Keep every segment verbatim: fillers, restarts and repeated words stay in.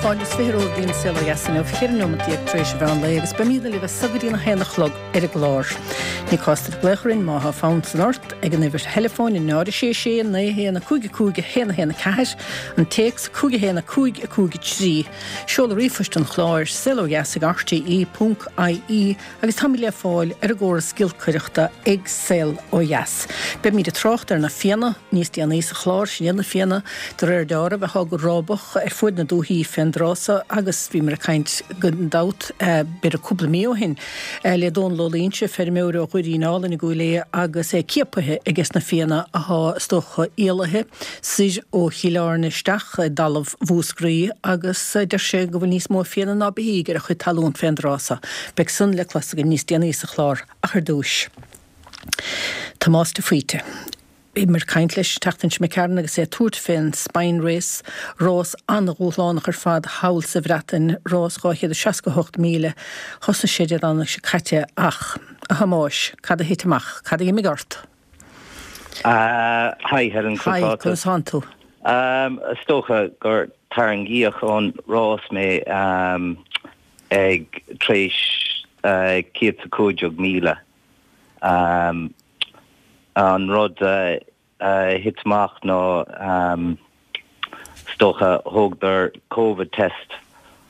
Fáilte is fiche romhaibh go dtí an Saol Ó Dheas inniu, ceithre nóiméad déag tar éis an mheán lae agus beimidne libh as so go dtí a haon a chlog ar an gclár. Ní cás duit glaoch orainn má tá fonn san ort ag an uimhir theileafóin náid a sé sé naoi haon a cúig a cúig a haon a haon a ceathair, an téacs cúig a haon a cúig a cúig a trí, seoladh ríomhphoist an chláir saol ó dheas ag rte ponc ie agus táimid le fáil ar an gcóras giolcaireachta ag Saol Ó Dheas. Beimid ag trácht ar na Fianna níos déanaí sa chlár sin iad na Fianna de réir dealraimh atá go rábach ar fuaid na dúthaí fén dtráth so agus bhíomar ag caint gan dabht b'fhéidir cúpla mí ó shin le Dónal Ó Loingsigh, feirmeoir ó Dhoirín Álainn i gCúil Aodha agus é ciapaithe aige na Fianna atá is dócha éalaithe soir ó Chill Airne isteach i dtalamh Mhúscraí agus deir sé go bhfuil níos mó Fianna ná beithígh ar a chuid talún fén dtráth so. Beidh san le clos againn níos déanaí sa chlár ach ar dtúis. Tomás de Faoite. Bhíomar ag caint leis an tseachtain seo imigh tharainn agus é ag tabhairt fén Spine Race, rás an-dhúshlánach ar fad thall sa Bhreatain, rás dhá chéad is seasca a hocht míle. Thosnaigh sé Dé Domhnaigh seo caite ach, a Thomáis, cad a thit amach? Cad a d'imigh ort? Uh, hi Helen Hi, conas tánn tú? Um, is dócha gur tarraingíodh ón rás mé um, ag tar éis uh, céad is a cúig déag míle. Um, an rud uh, uh, thit amach ná um, is dócha thógadar COVID test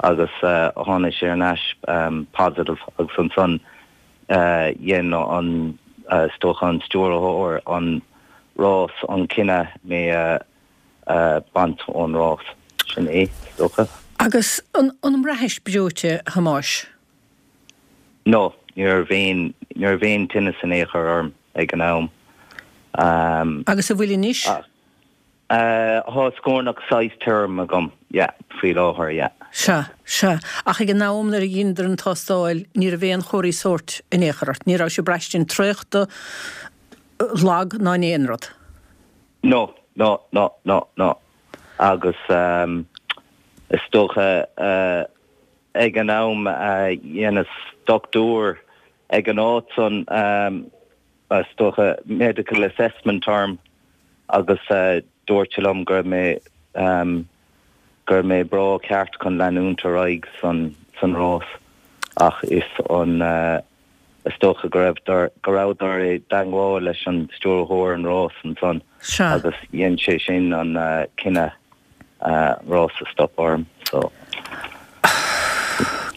agus uh, tháinig sé ar ais um, positive agus ansan uh, dhein an uh, is dócha an stiúrthóir an rás an cinneadh mé uh, uh, baint ón rás sin é is dócha. Agus an, an mbraithis breoite Thomáis? No, ní raibh aon ní raibh aon tinneas in aon chor orm ag an am. Um, Agus an bhfuil anois? Uh, Tá scornach saghas tirim agam, yeah, faoi láthair, yeah. Sea, sea. Ach ag an am nuair a dheineadar an tástáil ní raibh aon chomharthaí sóirt in aon chor ort. Ní raibh sé braistint traochta lag ná aon rud. No, no, no, no, no. Agus um, is dócha uh, ag an am uh, dhein dochtúir ag an áit san um, is dócha medical assessment orm agus uh, dúirt liom gur mé um, gur mé breá ceart chun leanúint ar aghaidh san san rás ach is an uh, is dócha go raibh go rabhadar i dteagmháil leis an stiúrthóir an rás ansan agus dhein sé sin an uh, cinneadh uh, rás a stop orm so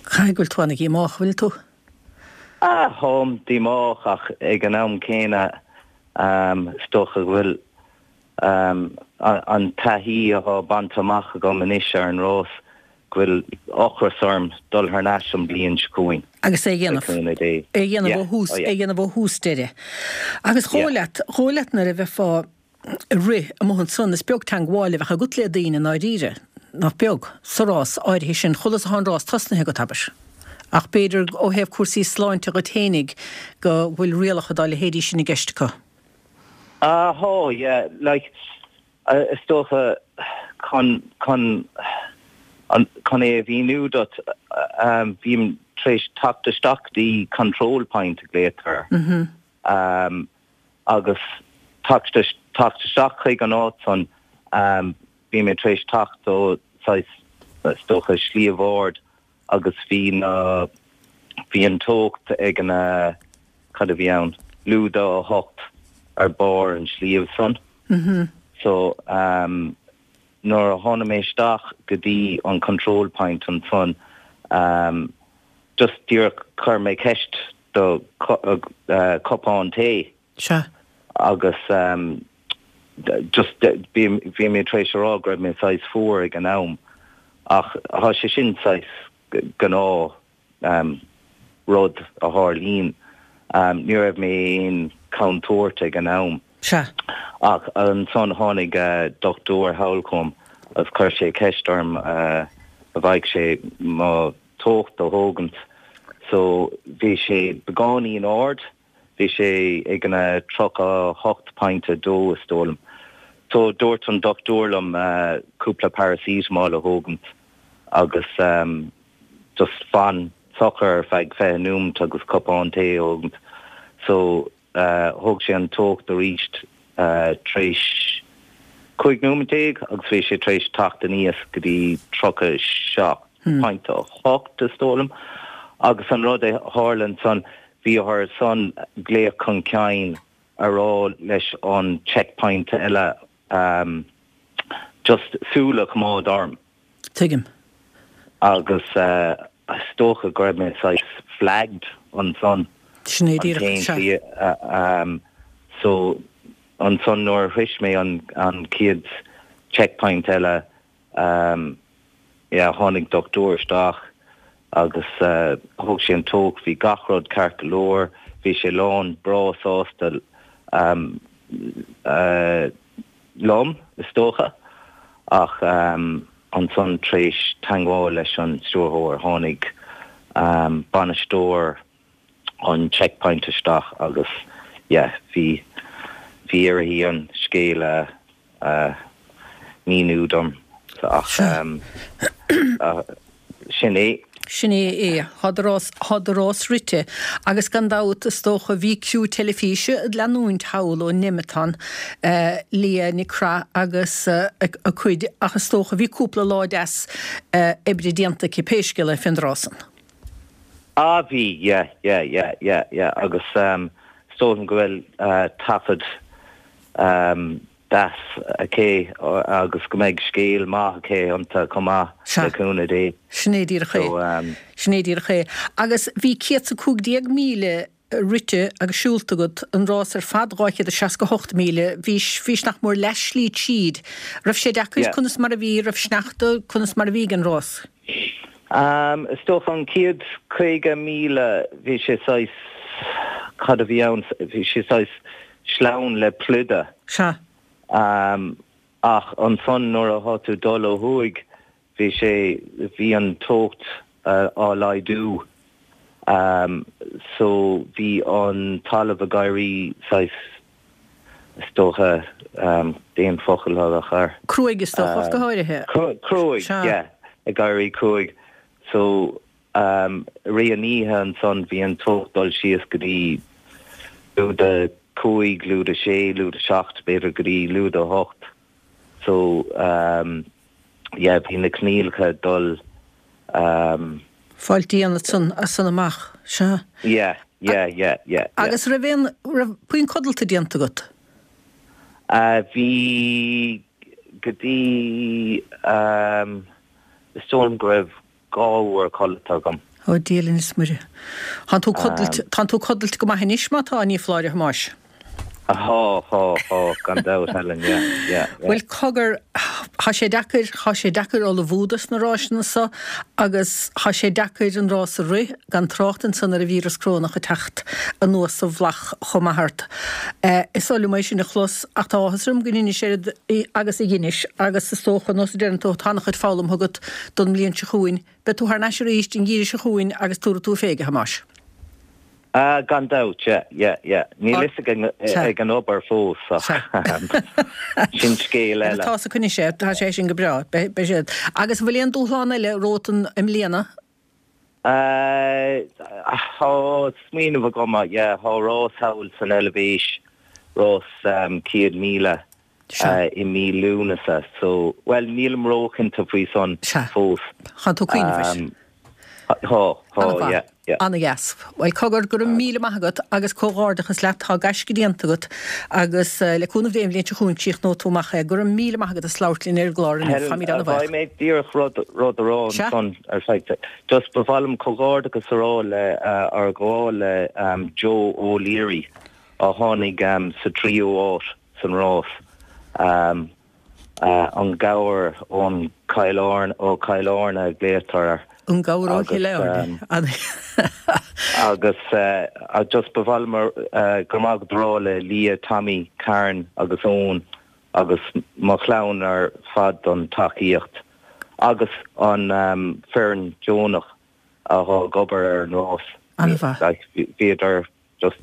Caithfidh go bhfuil tú an-díomách bhfuil tú? Ah táim díomách ach ag an am céanna um, is dócha go bhfuil um, an taithí atá bainte amach agam anois ar an rás go bhfuil ocras orm dul thar n-ais an bhliain seo chugainn. Agus é dhéanamh é dhéanamh ó thús é dhéanamh ó thús deireadh. Agus chomh chomh leat nuair a bheifeá ag rith amuigh ansan is beag teagmháil a bheadh agat le daoine i ndáiríre nach beag sa rás áirithe sin chulas an rás tosnaithe go tabair. Ach b'fhéidir ó thaobh cúrsaí sláinte go féinig go bhfuil rialacha dá leithéidí sin i gceist acu. Ah uh, yeah like uh, is dócha chun chun an chun é a mhíniú duit um, bhím tar éis teacht isteach dtí control point a glaotar. Mm -hmm. um, agus teacht isteach chuig an áit san um, bhí mé tar éis teacht ó is dócha sliabh ard agus bhí na bhí an teocht ag an uh, cad a bhí ann lúide a hocht ar barr an sliabh san. Mm -hmm. So um, nuair a tháinig mé isteach go dtí an control point ansan um, just díreach chuir mé ceist do uh, cupán tae. Sea. agus um, just bhí bhí mé tar éis rá go raibh mé saghas fuar ag an am ach tá sé sin saghas gnáth um, rud a tharlaíonn um, ní raibh mé aon chontúirt ag an am. Sea. Ach ansan tháinig uh, dochtúir thall chugam agus chuir sé ceist orm uh, a bhféadfadh sé mo teocht a thógaint. So bhí sé beagáinín ard, bhí sé ag an tríocha hocht pointe dó is dóigh liom. So dúirt an dochtúir liom uh, cúpla paracetamol a thógaint agus um, just fan socair feadh fiche nóiméad agus cupán tae a thógaint. So uh, thóg sé an teocht arís uh, tar éis cúig nóiméad déag agus bhí sé tar éis teacht aníos go dtí tríocha seacht pointe a hocht is dóigh liom. Agus an rud a tharla ansan, bhí orthu san glaoch chun cinn a rá leis an checkpoint eile um, just súil a choimeád orm. Tuigim. Agus uh, is dócha go raibh mé saghas flagged ansan. Sin é díreach, sea. Um, so ansan nuair a shroich mé an an chéad checkpoint eile um, yeah, tháinig dochtúir isteach agus uh, thóg sé an teocht bhí gach rud ceart go leor, bhí sé lán breá sásta um, uh, liom is dócha ach um, ansan tar éis teagmháil leis an stiúrthóir tháinig um, bainisteoir an checkpoint isteach agus yeah, bhí bhí uirthi an scéal a uh, míniú dom ach um, uh, sin é. Sin é é tá do rás tá do rás rite agus gan dabht is dócha bhí criú teilifíse ag leanúint thall ó Nemeton uh, Leah Nic Craith agus uh, a, a cuid ach is dócha bhí cúpla lá deas uh, oibre déanta cibé scéal é fén rás san. Ah bhí yeah, yeah, yeah, yeah, yeah. agus um, is dóigh liom go bhfuil uh, taifead um, deas aici agus go mbeidh scéal maith aici iontu chomh maith le cúnamh Dé. Sin é díreach é. Um, Sin é díreach é. Agus bhí céad is a cúig déag míle rite agus siúlta agat an rás ar fad dhá chéad is seasca hocht míle, bhí bhí nach mór leathshlí tríd. Raibh sé deacair Yeah. conas mar a bhí raibh sneachta conas mar a bhí an rás. Um, is dócha an chéad caoga míle bhí sé saghas cad a bhí ann bhí sé saghas sleamhain le pluda. Sea. Um, ach ansan nuair a thá tú dul ó thuaidh bhí sé bhí an teocht uh, á laghdú. Um, so bhí an talamh ag éirí saghas is dócha um, déan focal a chur. Cruaidh is dócha go háirithe. Cruaidh, Sea. yeah, ag éirí cruaidh. So um, ré an oíche ansan bhí an teocht dul síos go dtí lúide cúig, lúide sé, lúide seacht, b'fhéidir go dtí lúide hocht. So um, yeah, bhí na coinníollacha dul um, Fáil dian san as san amach sea. yeah, yeah, yeah, yeah, yeah. Agus raibh aon raibh puinn codlata déanta agat. Uh, bhí go dtí um, is dóigh liom go raibh dhá uair codlata agam. Ó Dia linn is Muire. Tá tú codlata Tá tú codlata go maith anois má tá ní foláir a Thomáis. Tá tá tá gan dabht Helen, yeah, yeah, yeah. Bhuel cogar thá sé deacair thá sé deacair ullmhú dos na rásanna so agus thá sé deacair an rás a rith gan trácht ansan ar an víreas corónach ag teacht anuas sa bhflach chomh maith ort. Eh, is oil liom é sin a chlos ach tá áthas orm go ndeinis agus a dheinis agus is dócha nós a deireann tú tá an-chuid foghlamtha agat don mbliain seo chugainn, Beidh tú thar n-ais arís an geimhreadh seo chugainn agus tabharfaidh tú fé a Thomáis. Uh, gan dabht, yeah, yeah, yeah. Níl Ar- fhios ag an- Sea. ag an obair fós ach sin scéal eile. Tá sa cunne sé tá sé sin go breá be siad. Agus bhfuil aon dúshlán eile romhat i mbliana? Uh, Tá smaoineamh agam, yeah, tá rás thall san Eilvéis rás um, céad míle Sea. uh, i mí Lúnasa, so well nílim róchinnte faoi san Sea. fós. Tá tú cuimhneamh. Um, Tá, tá, yeah, yeah. Ana-dheas. Well cogar go raibh míle maith agat agus comhghairdeachas leat tá gaisce déanta agat agus eh, le cúnamh Dé an bhliain seo chugainn críochnóidh tú amach é go raibh míle maith agat as labhairt linn ar an gclár inniu. Helen, Táimid an-bhuíoch. Bhí mé díreach rud rud a rá Sea. san ar feadh. Just ba mhaith liom comhghairdeachas a rá le uh, ar ghabháil le um, Joe O'Leary a tháinig um, sa tríú háit san rás. Um, uh, an gabhar ón Chill Airne ó Chill Airne glaotar An gabhar ó Agus, Chill Airne. agus uh, a just ba mhaith liom uh, go maith go rá le Leah Tommy Karen agus Owen agus mo chlann ar fad don tacaíocht agus an um, foireann deonach a thá ag obair ar an rás. An-mhaith. Like, bhíodar just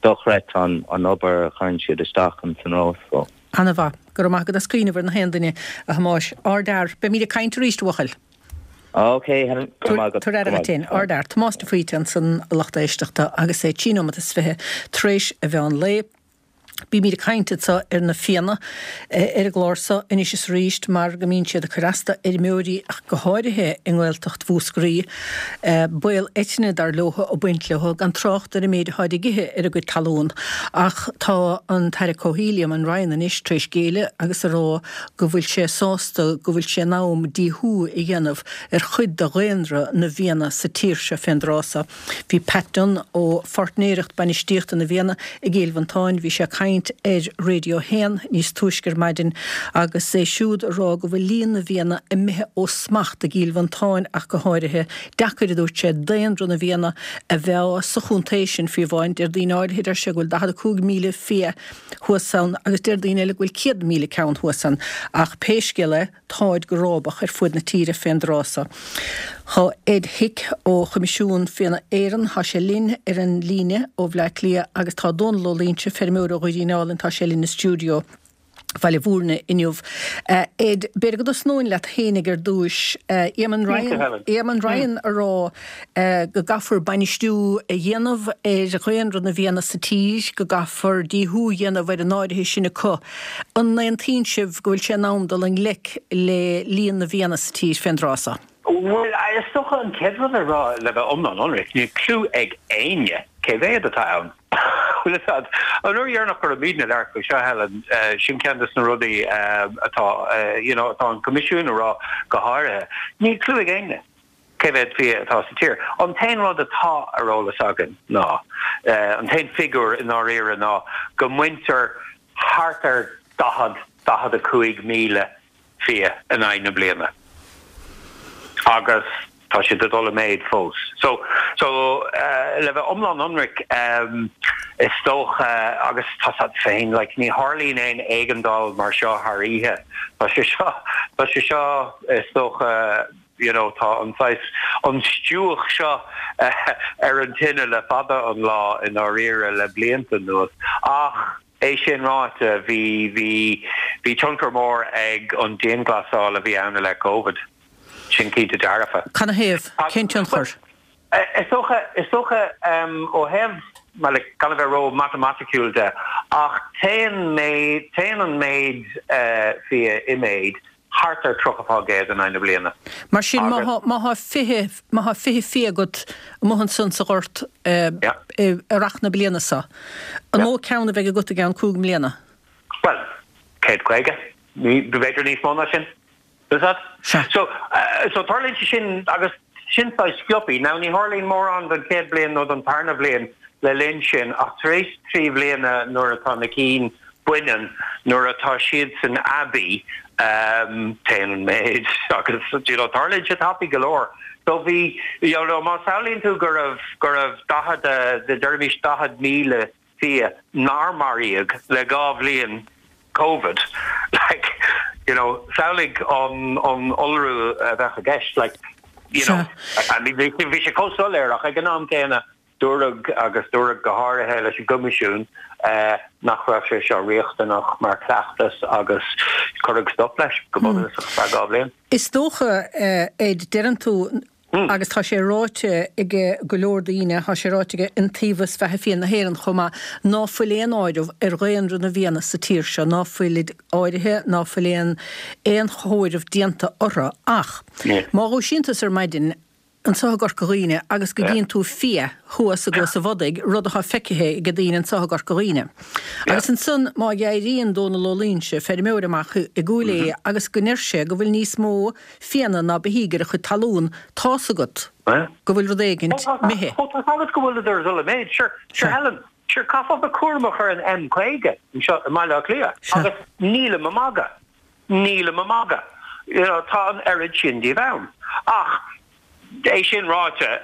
dochreidte an an obair a chuireann siad isteach an san rás. So. An-mhaith, go raibh maith agat as cuimhneamh ar na haon duine a Thomáis. Ardfhear, beimid ag caint arís a bhuachaill. Ok, Helen, go maith agat, Tabhair go aire maith. féin ardfhear Tomás de Faoite ansan a lucht éisteachta agus é trí nóiméad is fiche tar éis an mheán lae. Bímid ag caint anseo ar na fianna ar an gclár seo anois is arís mar go mbíonn siad ag cur as d'fheirmeoirí ach go háirithe i nGaeltacht Mhúscraí. Baol eitinne dar leo ag baint leo, gan trácht ar an méid atáid ag ithe ar a gcuid talún. Ach tá an tAire Comhshaoil, Eamon Ryan, anois tar éis géilleadh agus a rá go bhfuil sé sásta go bhfuil sé in am díothú a dhéanamh ar chuid de dhaonra na bhfianna sa tír seo fén dtráth seo. Bhí Pat Dunne ó Pháirtnéireacht Bainistíochta na bhFianna i gCill Mhantáin, bhí sé ag caint ar Radio a haon níos túisce ar maidin agus é siúd ag rá go bhfuil líon na bhfianna imithe ó smacht i gCill Mhantáin ach go háirithe. Deacair, a dúirt sé, daonra na bhfianna a mheá sa chontae sin fiú amháin. Deir daoine áirithe, deir sé, go bhfuil daichead a cúig míle fia thuas ann agus deir daoine eile go bhfuil céad míle ceann thuas ann. Ach pé scéal é, táid go rábach ar fuaid na tíre fén dtráth so. Tá Ed Hick ó Choimisiún Fianna Éireann, tá sé linn ar an líne ó Bhleá Cliath agus tá Dónal Ó Loingsigh, feirmeoir ó Dhoirín Álainn, tá sé linn i stiúideo Bhaile Mhúirne inniu. Ed, b'fhéidir go dtosnóinn leat fhéinig ar dtúis. Eamon Ryan, Eamon Ryan a rá go gcaithfear bainistiú a dhéanamh ar dhaonra na bhfianna sa tír, go gcaithfear díothú a dhéanamh ar an áirithe sin acu. An n-aontaíonn sibh go bhfuil sé in am dul i ngleic le líon na bhfianna sa tír fén dtráth so? Bhuel, is dócha an chéad rud a rá, le bheith iomlán ionraic, níl cliú ag éinne cé mhéad atá ann. Bhfuil fhios a'd, an uair dheireanach go raibh muidne ag labhairt faoi seo, Helen, sin ceann de na rudaí atá, you know, atá an Coimisiún a rá go háirithe. Níl cliú ag éinne cé mhéad fia atá sa tír. An t-aon rud atá ar eolas againn ná, an t-aon figiúr i ndáiríre ná go mbaintear thart ar daichead, daichead a cúig míle fia in aghaidh na bliana agus tá siad ag dul i méid fós. So, so le bheith iomlán ionraic, is dócha, agus tá 's a'd féin, like, ní tharlaíonn aon éigeandáil mar seo thar oíche. Tá sé seo, tá sé seo, is dócha, you know, tá an saghas, an stiúch seo ar an tine le fada an lá i ndáiríre le blianta anuas. Ach é sin ráite, bhí, bhí, bhí tionchar mór ag an dianghlasáil a bhí ann i leith Covid. Sin cinnte dearfa. Canathaobh? Cén tionchar? Is dócha, is dócha, ó thaobh, bhuel, gan a bheith ró-matamaiticiúil de, ach téann méid, téann an méid fia i méid thart ar tríocha fán gcéad in aghaidh na bliana. Mar sin, má thá, má thá fiche, má thá fiche fia agat amuigh ansan sa ghort i rith na bliana so, an mó ceann a bheidh agat i gceann cúig mbliana? Bhuel, céad caoga, b'fhéidir níos mó ná sin. Is that? So, so tarlaíonn sé sin agus sin saghas sciobthaí. Now ní tharlaíonn mórán don chéad bhliain nó don tarna bhliain le linn sin ach tar éis trí bhliana nuair atá na cinn baineann, nuair atá siadsan aibí, téann an méid agus you know tarlaíonn sé tapaidh go leor. So bhí, you know, má samhlaíonn tú go raibh, go raibh daichead, deirimis daichead míle fia nár maraíodh le dhá bhliain Covid, like, you know, samhlaigh an, an iolrú a bheadh i gceist, like, you know, I mean bhí, bhí sé chomh soiléir ach ag an am céanna dúradh, agus dúradh go háirithe leis an gCoimisiún, nach raibh sé seo riachtanach mar chleachtas agus cuireadh stop leis go bunúsach ar feadh dhá bhliain. Is dócha, Ed, deireann tú, agus tá sé ráite ag go leor daoine, tá sé ráite ag Iontaobhas Bheatha Fiáin na hÉireann chomh maith, ná fuil aon áireamh ar dhaonra na bhfianna sa tír seo, ná fuilid áirithe, ná fuil aon aon chomhaireamh déanta orthu. Ach má dhúisíonn tusa ar maidin anseo i gCorca Dhuibhne agus go gcíonn tú fia thuas i gCluas an Bhodaigh, rud atá feicthe ag daoine anseo i gCorca Dhuibhne. Agus ansan má éiríonn Dónal Ó Loingsigh, feirmeoir amach i gCúil Aodha agus go ndeir sé go bhfuil níos mó fianna ná beithígh ar a chuid talún, tá's agat go bhfuil rud éigint imithe. Ó tá 's agat go bhfuileadar ag dul i méid. Sure, sure Helen, sure caithfeá bheith cúramach ar an M caoga anseo i mBaile Átha Cliath agus nílim ag magadh. Nílim ag magadh. You know, tá an oiread sin díobh ann. Ach, é sin ráite,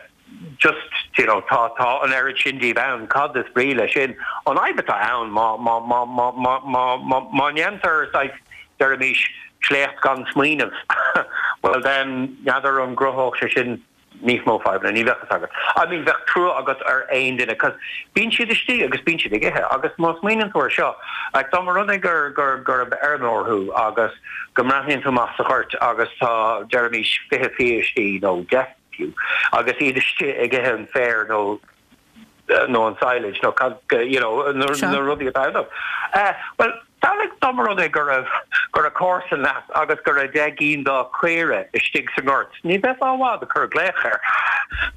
just, you know, tá, tá an oiread sin díobh ann, cad is brí leis sin? An fhadhb atá ann, má, má, má, má, má, má, má, má ndéantar saghas, deirimis, sléacht gan smaoineamh, well then, n'fheadar an gcruthódh sé sin níos mó fadhbanna, ní bheadh fhios agat. I mean, bheadh trua agat ar aon duine, 'cause bíonn siad istigh agus bíonn siad ag ithe agus má smaoiníonn tú ar seo, like, dá mba rud é gur, gur, gurb fheirmeoir thú agus go mbreathnaíonn tú amach sa ghort agus tá, deirimis, fiche fia istigh nó deich fiú, agus iad istigh ag ithe an féir nó nó an silage nó cad you know na Sea. na rudaí atá ann. Uh, well samhlaigh dá mba rud é go raibh go raibh comharsan leat agus go raibh deich gcinn dá chaora istigh sa ngort. Ní bheifeá i bhfad ag cur glaoch air.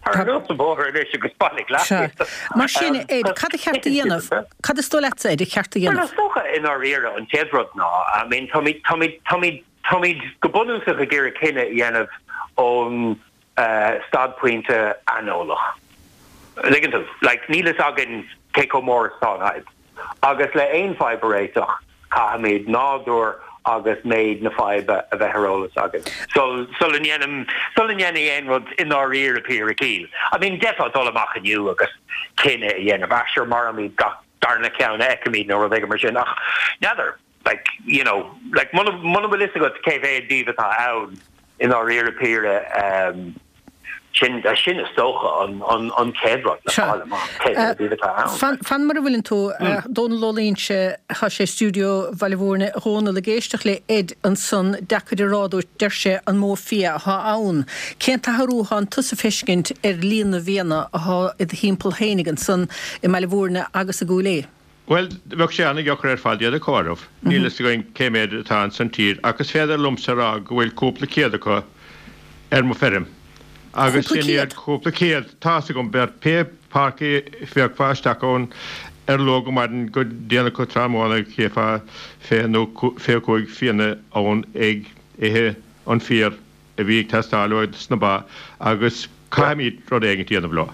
Tar anuas an bóthar anois agus bailigh leat Sea. iad. Mar sin, Um, Ed, cad a cheart a dhéanamh? Cad is dóigh leatsa, Ed, a cheart a Well, dhéanamh? is dócha i ndáiríre an chéad rud ná I mean táimid táimid táimid táimid go bunúsach ag iarraidh cinneadh a dhéanamh ón uh, staidpointe aineolach. Tuigeann tú, like níl a fhios againn cé chomh mór is atá an fhadhb. Agus le aon fhadhb a réiteach caithfimid nádúr agus méid na faidhbe a bheith ar eolas againn. So sula ndéanaim sula ndéanaim aon rud i ndáiríre píre cíl. I mean d'fhéadfá dul amach inniu agus cinneadh a dhéanamh sure maraímid gach darna ceann a fheicimid nó rud éigin mar sin ach n'fheadar like you know like muna muna bhfuil a fhios agat cé mhéad díobh atá ann i ndáiríre píre um, sin uh, sin is dócha an an an chéad rud le Sea. fáil amach cé mhéad díobh atá ann. Fan, fan mar a bhfuileann tú uh, Dónal Ó Loingsigh tá sé stiúideo Bhaile Mhúirne Dhónal ag éisteacht le Ed ansan deacair a rá deir sé an mó fia atá ann. Cén t-athrú atá tusa ag feiscint ar líon na bhfianna atá i do thimpeall féinig ansan i mBaile Mhúirne agus i gCúil Aodha. Well, bheadh sé an-deacair ar fad iad a chomhaireamh. Níl a fhios againn cé mhéad atá ansan tír, agus féidir liomsa rá go bhfuil cúpla céad acu ar mo feirm. Agus Cúpla sin iad céad? cúpla céad tá gom ber pé parci feach fáisteach ón ar lo go maidin go déanach go tráthnóna gheofá fiche nó fiche cúig fianna ann ag ithe an féar a bhí ag teastáil uait sna ba agus caithfimid rud éigin a dhéanamh leo.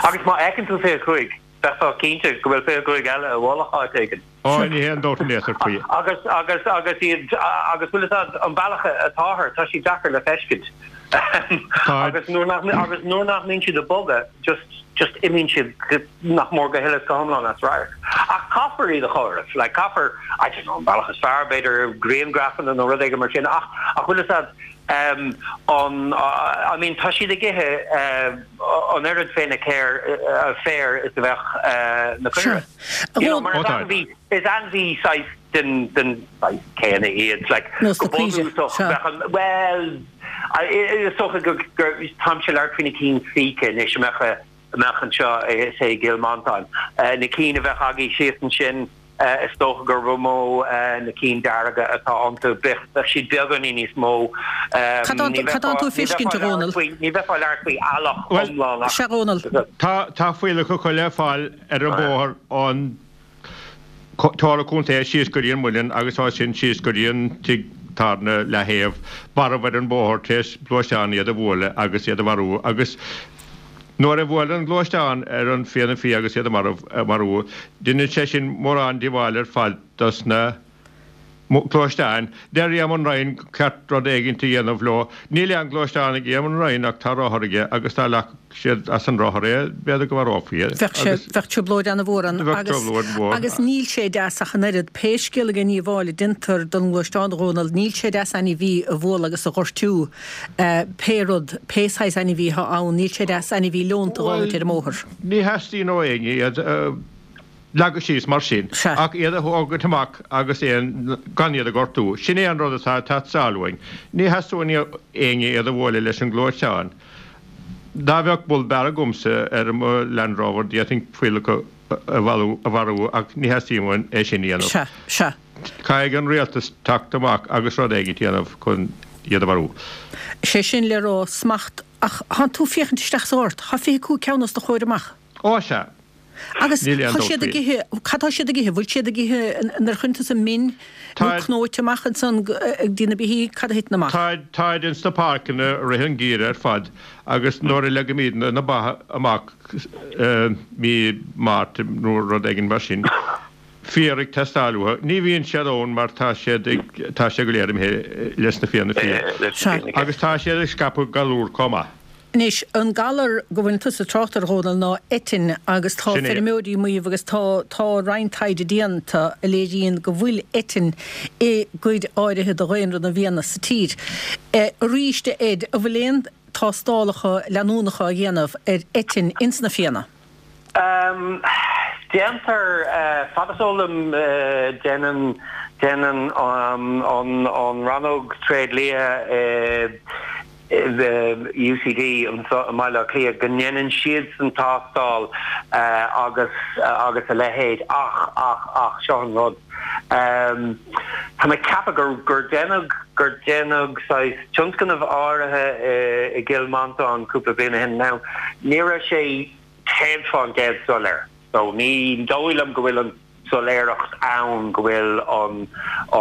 Agus má fheiceann tú fiche cúig bheifeá cinnte go bhfuil fiche cúig eile i bhfolach áit éigin. Á ní haon dabht in aon chor faoi. Agus agus agus iad agus bhfuil an bealach atáthar tá sí deacair le feiscint. agus nuair nach agus nuair nach mbíonn siad ag bogadh just just imíonn siad nach mór go huile go hiomlán as radharc. Ach caithfear iad a chomhaireamh, like caithfear I don't know, an bealach is fearr b'fhéidir grianghrafanna nó rud éigin mar sin ach ach bhfuil a um, an uh, I mean tá siad ag ithe uh, an oiread féin céir uh, féar is a bheadh uh, na Sure. caora. You know, mar Ó, is tá. ainmhí is ainmhí saghas den den saghas céanna iad like Nós na go caoire, bunúsach sure. bheadh an- well I- is dócha go gur táimse ag labhairt faoi na cinn síce anois amach amach anseo is é Gil Mantáin. Uh, na cinn a bheadh agaibh síos ansin uh, is dócha gur mó uh, na cinn dearga atá iontu bheadh siad beagáinín níos mó. Um, Cad tá- ní cad tá tú bheifeá- ní feiscint, bheifeá a Dhónaill? labhairt faoi- Ní bheifeá ag labhairt faoi eallach Well, iomlán ach- Sea Dhónaill. Tá tá fuílleach chuile fáil ar an bóthar an Tá contae síos go dtí an muileann agus tá sin síos go dtí an tigh tábhairne le thaobh marbh ar an bóthar tar éis gluaisteán iad a bhualadh agus iad a mharú agus nuair a bhuail an gluaisteán ar an fianna fia agus iad a marbh marú Déanann sé sin mórán díobháil ar fad dos na gluaisteáin. Deir Éamon Ryan ceart rud éigin a dhéanamh leo. Níl an gluaisteán ag Éamon Ryan ach tá rothar aige agus dá leagfadh siad as an rothar é b'fhéidir go marófaí. Bheadh sé bheadh trioblóid an-mhór ann Bheadh agus trioblóid mhór. agus níl sé deas ach an oiread pé scéal an díobháil a déantar don ghluaisteán Dhónaill níl sé deas ainmhí a bhualadh agus a ghortú eh, pé rud pé saghas ainmhí atá ann níl sé deas ainmhí leonta Well, ar an mbóthar. Ní theastaíonn ó éinne iad leagadh síos mar sin Sea. ach iad a thógaint amach agus éon gan iad a ghortú. Sin é an rud atá teastáil uainn. Ní theastaíonn ó éinne iad a bhualadh leis an gluaisteán. Dá bheadh bull bear agamsa ar mo Land Rover d'fhéadfainn fuílleach a bhailiú a mharú ach ní theastaíonn é sin a dhéanamh. Sea, sea. Caithfidh an rialtas teacht amach agus rud éigin a dhéanamh chun iad a mharú. Sé sin le rá smacht ach tá tú féachaint isteach sa ghort, Tá fiche cúig ceann os do chomhair amach. Ó sea. Agus Níl aon tá dabht siad ag faoi. ithe cad tá siad ag ithe, bhfuil siad ag ithe ar chuntas an min nó Tá- cnóite amach ansan ag dí na bithí cad a thiteann amach. Tá táid ins na páirceanna rith an gheimhridh ar fad agus nuair a leagaimid na ba amach eh, mí Márta nó rud éigin mar sin. Féar ag teastáil uathu. Ní bhíonn siad ann mar tá siad ag- tá sé go léir imithe leis na fianna fia. Sea. Agus tá siad ag scaipeadh galar chomh maith. Anois an galar go bhfuil tusa ag trácht air a Dhónaill ná eitinn agus tá Sin é. feirmeoirí ag maíomh agus tá tá roinnt taighde déanta a léiríonn go bhfuil eitinn i gcuid áirithe de dhaonra na bhfianna sa tír. E, arís Ed an bhfuil aon tástálacha leanúnacha á dhéanamh ar eitinn ins na fianna. Um, déantar uh, fad is eol dom uh, déanann déanann um, an an rannóg tréidlia uh, UCD anseo i mBaile Átha Cliath go ndéanann siadsan tástáil agus agus a leithéid ach ach ach seo an rud tá mé ag ceapadh gur gur déanadh gur déanadh saghas tionscnamh áirithe i gCill Mhantáin cúpla bliain ó shin now ní raibh sé céad fán gcéad soiléir so ní dóigh liom go bhfuil an soiléireacht ann go bhfuil an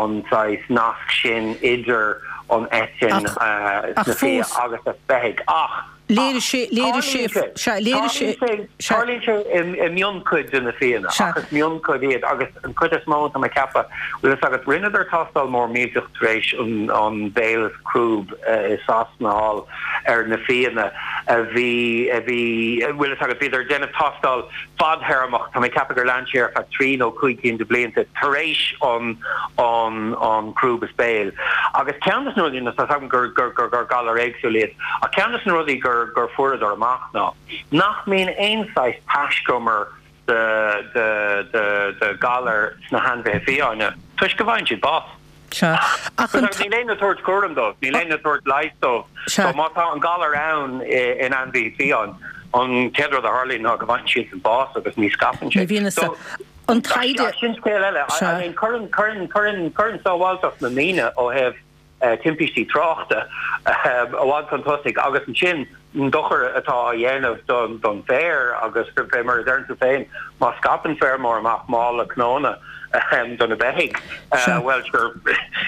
an saghas nasc sin idir an eitinn sna fia agus sna beithígh ach Léirigh sé, léirigh sé, sea, léirigh sé, sea. Tarlaíonn sé i mionchuid de na fianna ach is mionchuid iad agus an chuid is mó tá mé ag ceapadh, bhfuil fhios agat, rinneadar tástáil mór millteach tar éis an an béal is crúb i Sasana thall ar na fianna a bhí, a bhí, bhfuil fhios agat, bhíodar ag déanamh tástáil fadthéarmach, tá mé ag ceapadh gur lean sé ar feadh trí nó cúig cinn de bhlianta tar éis an an an crúb is béil. Agus ceann de na rudaí, tá 's agam gur gur gur gur galair éagsúil iad, ach ceann de na rudaí gur gur fuaireadar amach ná nach mbíonn aon saghas taiscumar de de de de ghalar sna hainmhithe fiáine toisc go bhfaigheann siad bás. Sea. Ach an. Níl éinne ag tabhairt cúram dóibh, níl éinne ag tabhairt leighis dóibh. Sea. So má tá an galar ann in ainmhí fiáin, an chéad rud a tharlaíonn ná go bhfaigheann siadsan bás agus ní scaipeann sé. Ní bhíonn a. So, An taighde. Sin scéal eile. Sea. I mean, cuireann, cuireann, cuireann, cuireann sábháilteacht na ndaoine ó thaobh timpistí tráchta i bhfad chun tosaigh agus ansin an dochar atá á dhéanamh don bhféar agus fé mar a deireann tú féin, má scaipeann feirmeoir amach mála cnónna do na beithígh, bhuel sure,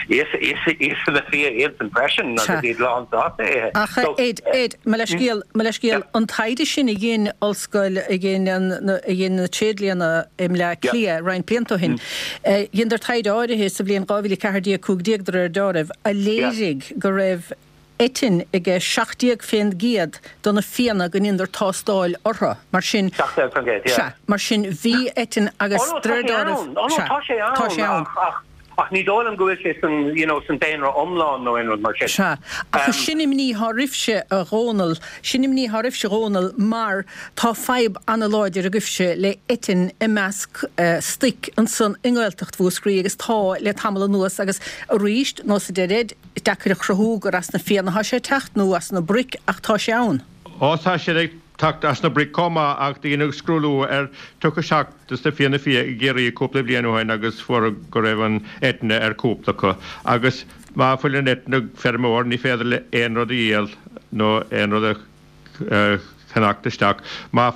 íosfaidh na fia iadsan freisin agus iad lán sásta ithe. Ach Ed, Ed, mo leithscéal, mo leithscéal, an taighde sin a dhein ollscoil, a dhein a dhein na tréidlianna i mBleá Cliath roinnt blianta ó shin, dheineadar taighde áirithe sa bhliain dhá mhíle a ceathair déag, cúig déag de réir dealraimh, a léirigh go raibh eitinn aige seacht déag fén gcéad de na fianna go ndeineadar tástáil orthu. Mar sin, Seacht déag fén gcéad, yeah. sea, mar sin bhí eitinn agus Oh no, de tá réir sé ann. dealraimh, Oh no, sea, tá sé ann, tá sé ann. ach, ach, ach ní dóigh liom go bhfuil sé san, you know, san daonra iomlán nó aon rud mar sin. Sea, ach Um, sin imní atá oraibhse, a Dhónaill, sin imní atá oraibhse, a Dhónaill, mar tá fadhb an-láidir agaibhse le eitinn i measc stoic ansan i nGaeltacht Mhúscraí agus tá le tamall anuas agus arís, nós a deir Ed, Is deacair a chruthú gur as na fianna atá sé ag teacht nó as na broic ach tá sé ann. Ó tá sé ag teacht as na broic chomh maith ach deineadh scrúdú ar tríocha seacht de na fianna fia i gCiarraí cúpla bliain ó shin agus fuaireadh go raibh an eitinne ar cúpla acu agus má fuil an eitinne ag feirmeoir ní féidir leis aon rud a dhíol nó aon rud a cheannacht isteach. Má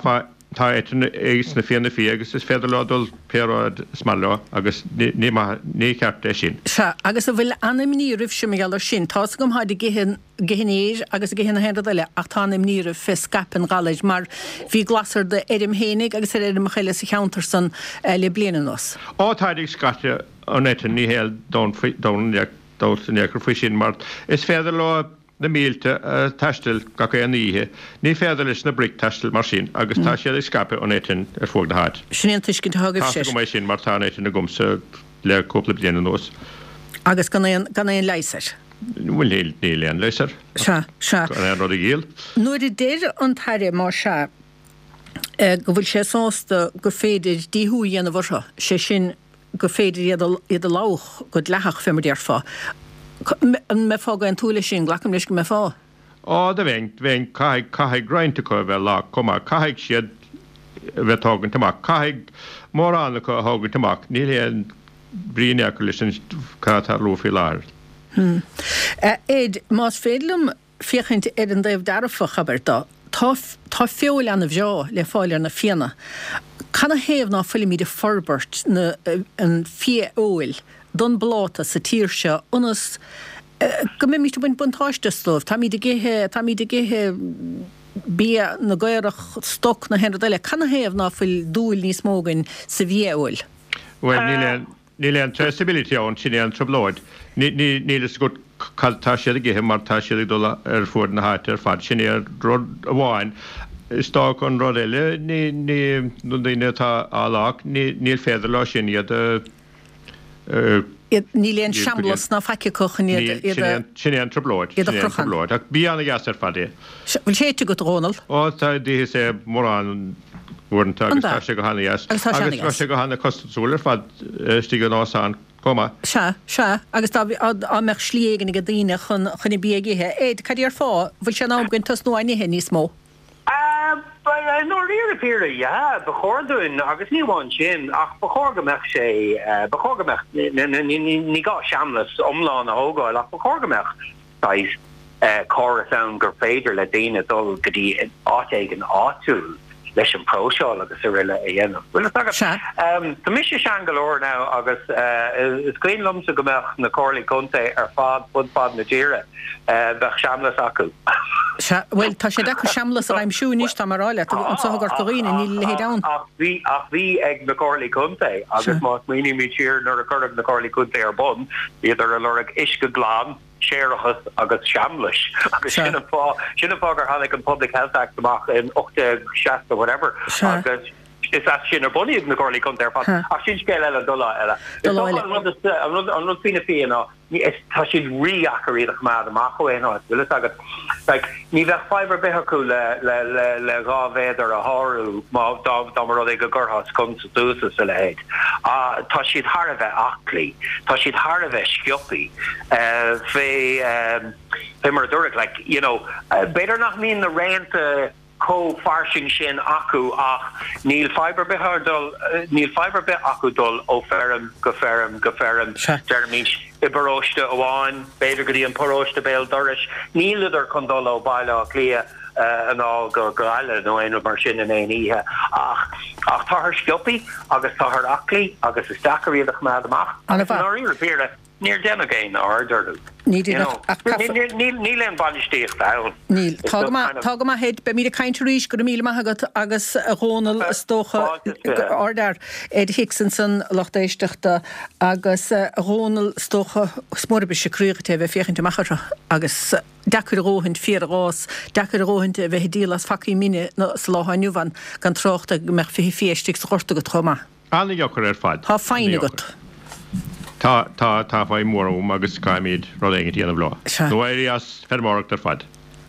tá eitinn sna fianna fia agus is féidir leo dul pé áit is maith leo agus ní maith, ní ceart é sin. Sea, agus an bhfuil an-imní oraibhse mar gheall ar sin? Tá's agam táid ag ithe ag ithe an fhéir agus ag ithe na haon rud eile ach tá an-imní oraibh fé scaipeadh an ghalair mar bhí glas ar d'fheirm fhéinig agus ar fheirmeacha eile sa cheantar san le bliain anuas. Ó táid ag scaipeadh an eitinn ní haon dabht in aon chor faoi sin mar is féidir leo na mílte a taisteal gach aon oíche. Ní féidir leis na broic taisteal mar sin agus tá siad ag scaipeadh an eitinn ar fuaid na háite. Sin é an tuiscint atá Tá agaibhse. agam é sin mar tá an eitinn agamsa le cúpla bliain anuas. Agus gan aon, gan aon leigheas air. Bhuel níl, níl aon leigheas air. Sea, sea. Gan aon rud a dhíol. Nuair a deir an tAire, más ea, go bhfuil sé sásta gur féidir díothú a dhéanamh orthu, sé sin gur féidir iad a, iad a lobhadh go dleathach, fé mar déarfá. An mbeifeá ag aontú leis sin? Glacaim leis go mbeifeá. Á, do bheinn, bheinn, caithfidh, caithfidh roinnt acu a bheith lách chomh maith, caithfidh siad a bheith tógaint amach, caithfidh mórán acu a thógaint amach, níl aon bhrí in aon chor leis an cad atá ag tarlú faoi láthair. Ed, más féidir liom féachaint ar an dtaobh dearfach, abair, de, tá, tá feoil ana-bhreá le fáil ar na fianna. Canathaobh ná fuilimid ag forbairt na, an fia-fheoil don bpláta sa tír seo ionas go mbeimid ag baint buntáiste astu? Táimid ag ithe, táimid ag ithe bia na gcaorach, stoc, na haon rud eile. Canathaobh ná fuil dúil níos mó againn sa bhfia-fheoil? Bhuel, níl aon, níl aon traceability ann, sin é an trioblóid. Ní, ní, níl fhios agat cad tá siad ag ithe mar tá siad ag dul ar fuaid na háite ar fad. Sin é an rud amháin. Is dócha an rud eile, ní, ní, na daoine atá á lách, ní, níl féidir leo sin iad a, a, Iad, níl aon iad go dtí an, seamlas ná faic acu chun iad, níl, iad sin a, é an, sin é an trioblóid, iad a sin é an chrochadh. trioblóid. Ach bia ana-dheas ar fad é. Sea, bhfuil sé ite agat, a Dhónaill? Ó, tá, d'itheas é mórán uaireanta An agus tá ea? sé go hana-dheas. Agus tá sé Agus tá ana-dheas. sé go hana-chostasúil ar fad istigh in Óstán. chomh maith. Sea, sea, agus dá dá mbeadh slí éigin ag daoine chun chun an bia a ithe. Ed, cad déarfá, bhfuil sé in am againn tosnú á n-ithe níos mó? I ndáiríre píre, yeah, ba chóir dúinn agus ní amháin sin ach ba chóir go mbeadh sé, ba chóir go mbeadh, ní gá seamlas iomlán a thógáil ach ba chóir go mbeadh saghas córas ann gur féidir le daoine dul go dtí áit éigin áitiúil leis an próiseáil agus araile a dhéanamh. Bhfuil fhios agat? Sea. Tá mise sean go leor now agus is cuimhin liomsa go mbeadh na comhairlí contae ar fad fud fad na tíre, bheadh seamlas acu. Sea, bhuel, tá sé deacair seamlas a aimsiú anois, tá mé a rá leat, anseo i gCorca Dhuibhne, níl a leithéid ann. Ach bhí, ach bhí ag na comhairlí contae agus má smaoinímid siar nuair a cuireadh na comhairlí contae ar bun, bhíodar ag lorg uisce glan, séarachas agus seamlais agus sin an fáth, sin an fáth gur tháinig an Public Health Act amach in ocht déag seasca whatever agus is as sin a bunaíodh na comhairlí contae ar fad. Ach sin scéal eile do lá eile. Is dócha an rud is, an rud, an rud faoi na fia ná is, tá siad rídheacair iad a choimeád amach ó aon áit, bhfuil fhios agat. Like, ní bheadh fadhb ar bith acu le, le, le, le dhá mhéadar a shárú má, dá, dá mba rud é go gcuirfeá sconsa suas is a leithéid. Tá siad thar a bheith aclaí. Tá siad thar a bheith sciobthaí. Fé, fé mar a dúradh, like, you know, b'fhéidir nach mbíonn na raonta chomh fairsing sin acu ach níl fadhb ar bith ar dul, níl fadhb ar bith acu dul ó feirm go feirm go feirm, deirimis, i bparóiste amháin, b'fhéidir go dtí an paróiste béal dorais. Níleadar chun dul ó Bhaile Átha Cliath anall go Gaillimh nó aon rud mar sin in aon oíche ach ach táthar sciobthaí agus táthar aclaí agus is deacair iad a choimeád amach agus i ndáiríre píre níor déanadh aon aird orthu. Ní déanadh ach caithfear. Níl aon bhainistíocht ann. Níl. Tá go maith, tá go maith Ed, beimid ag caint arís, go raibh míle maith agat agus a Dhónaill is dócha, ardfhear, Ed Hicks ansan lucht éisteachta agus a Dhónaill is dócha is mór an briseadh croí dhuit é a bheith ag féachaint amach orthu agus deacair a dhóthaint féar a dh'fhás, deacair a dhóthaint a bheith ag díol as phacaí mine sa lá atá inniu ann, gan trácht ar go mbeadh fiche fia istigh sa ghort agat chomh maith. An-deacair ar fad. Tá foighne agat. Tá, tá, tá foighne mhór agam agus caithfimid rud éigin a dhéanamh leo. Sea. Nó éirí as feirmeoireacht ar fad.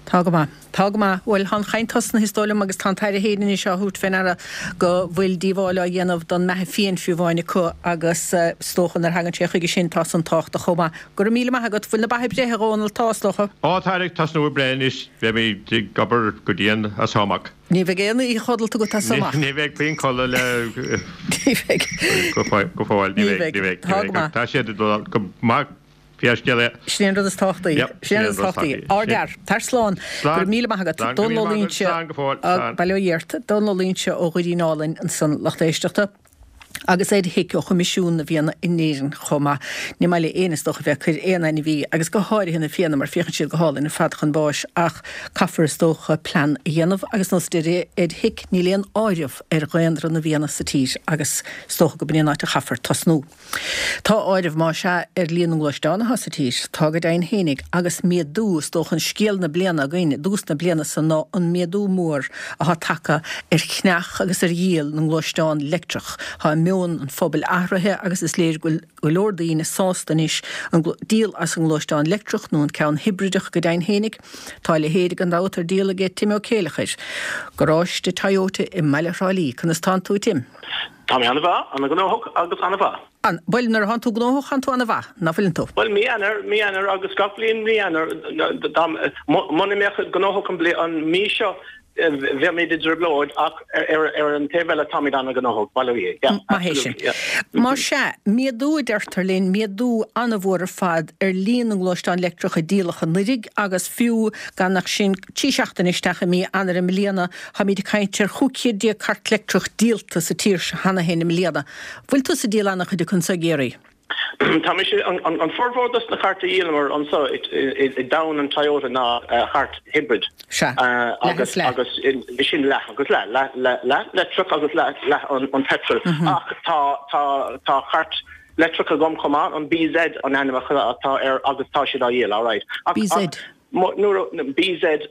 Tá go maith. Tá go maith. Bhuel, tá an chaint tosnaithe is dóigh liom agus tá an tAire féin anois á thabhairt fé ndeara go bhfuil díobháil á dhéanamh don mbeatha fiáin fiú amháin acu agus is dócha nuair a thagann sé chuige sin tá san tábhachtach chomh maith. Go raibh míle maith agat. Bhfuil na ba ag breith, a Dhónaill? Tá, is dócha. Á, tá ag tosnú ag breith anois. Beimid ag obair go dian as seo amach. Ní bheidh aon oíche chodlata agat as seo amach. Ní bheidh puinn codladh le Ní bheidh. go fóill. Ní bheidh. Ní bheidh. Tá go maith. Tá siad ag dul go maith. Pé scéal é. Sin é an rud is tábhachtaí. Yep, Sin é an rud is tábhachtaí. Ardfhear. Tar slán. Slán. Go raibh míle maith agat. Slán, go raibh Dónal Ó míle maith agat. Loingsigh. Slán go fóill. Slán. Bail ó Dhia ort. Dónal Ó Loingsigh ó Dhoirín Álainn ansan, lucht éisteachta. Agus Ed Hick ó Choimisiún na bhFianna in Éirinn chomh maith. Ní maith le éinne is dócha bheith ag cur aon ainmhí, agus go háirithe na fianna, mar féachann siad go hálainn ar fad chun báis, ach caithfear is dócha plean a dhéanamh agus nós a deir Ed Hick, níl aon áireamh ar dhaonra na bhfianna sa tír agus is dócha go b'in é an áit a chaithfear tosnú. Tá áireamh, más ea, ar líon na ngluaisteán atá sa tír. Tá go deimhin fhéinig, agus méadú, is dócha an scéal na bliana againn i dtús na bliana so ná an méadú mór atá tagtha ar cheannach agus ar dhíol na ngluaisteán leictreach. Tá meon an phobail athraithe agus is léir go bhfuil go leor daoine sásta anois an díol as an ngluaisteán leictreach nó an ceann hibrideach go deimhin fhéinig. Tá a leithéid gan dabht ar díol aige Tim Ó Céileachair, garáiste Toyota i mbaile Thrá Lí. Conas tánn tú, a Tim? Tá mé an-mhaith, an-ghnóthach agus an-mhaith. An, bhuel, nuair a thánn tú gnóthach, thánn tú an-mhaith, ná fuileann tú? Bhuel, mí Eanáir, mí Eanáir agus gach bliain mí Eanáir, dá, muna mbeadh gnóthach an bhli, an mí seo, bheimid i dtrioblóid ach ar, ar an taobh eile táimid an-ghnóthach, bail ó Dhia, yeah, Maith é sin. absolutely, yeah. Más ea, méadú a deirtear linn, méadú an-mhór ar fad ar líon na ngluaisteán leictreach a díoladh anuraidh agus fiú gan ach sin trí seachtaine isteach i mí Eanáir i mbliana, Táimid ag caint ar chúig chéad déag cairt leictreach díolta sa tír seo cheana féin i mbliana. Bhfuil tusa ag díol an-chuid acu anso i gCiarraí? Tá mise, an formhór dos na cairt a dhíolamar anso i dtown an Toyota ná cairt hybrid. Sea, leath is leath. Agus sin leath agus leath, leath leath leictreach agus leath leath an petrol. Ach tá tá tá cairt leictreach agam chomh maith, an BZ an ainm atá air agus tá siad á dhíol, alright. BZ. Nuair a, BZ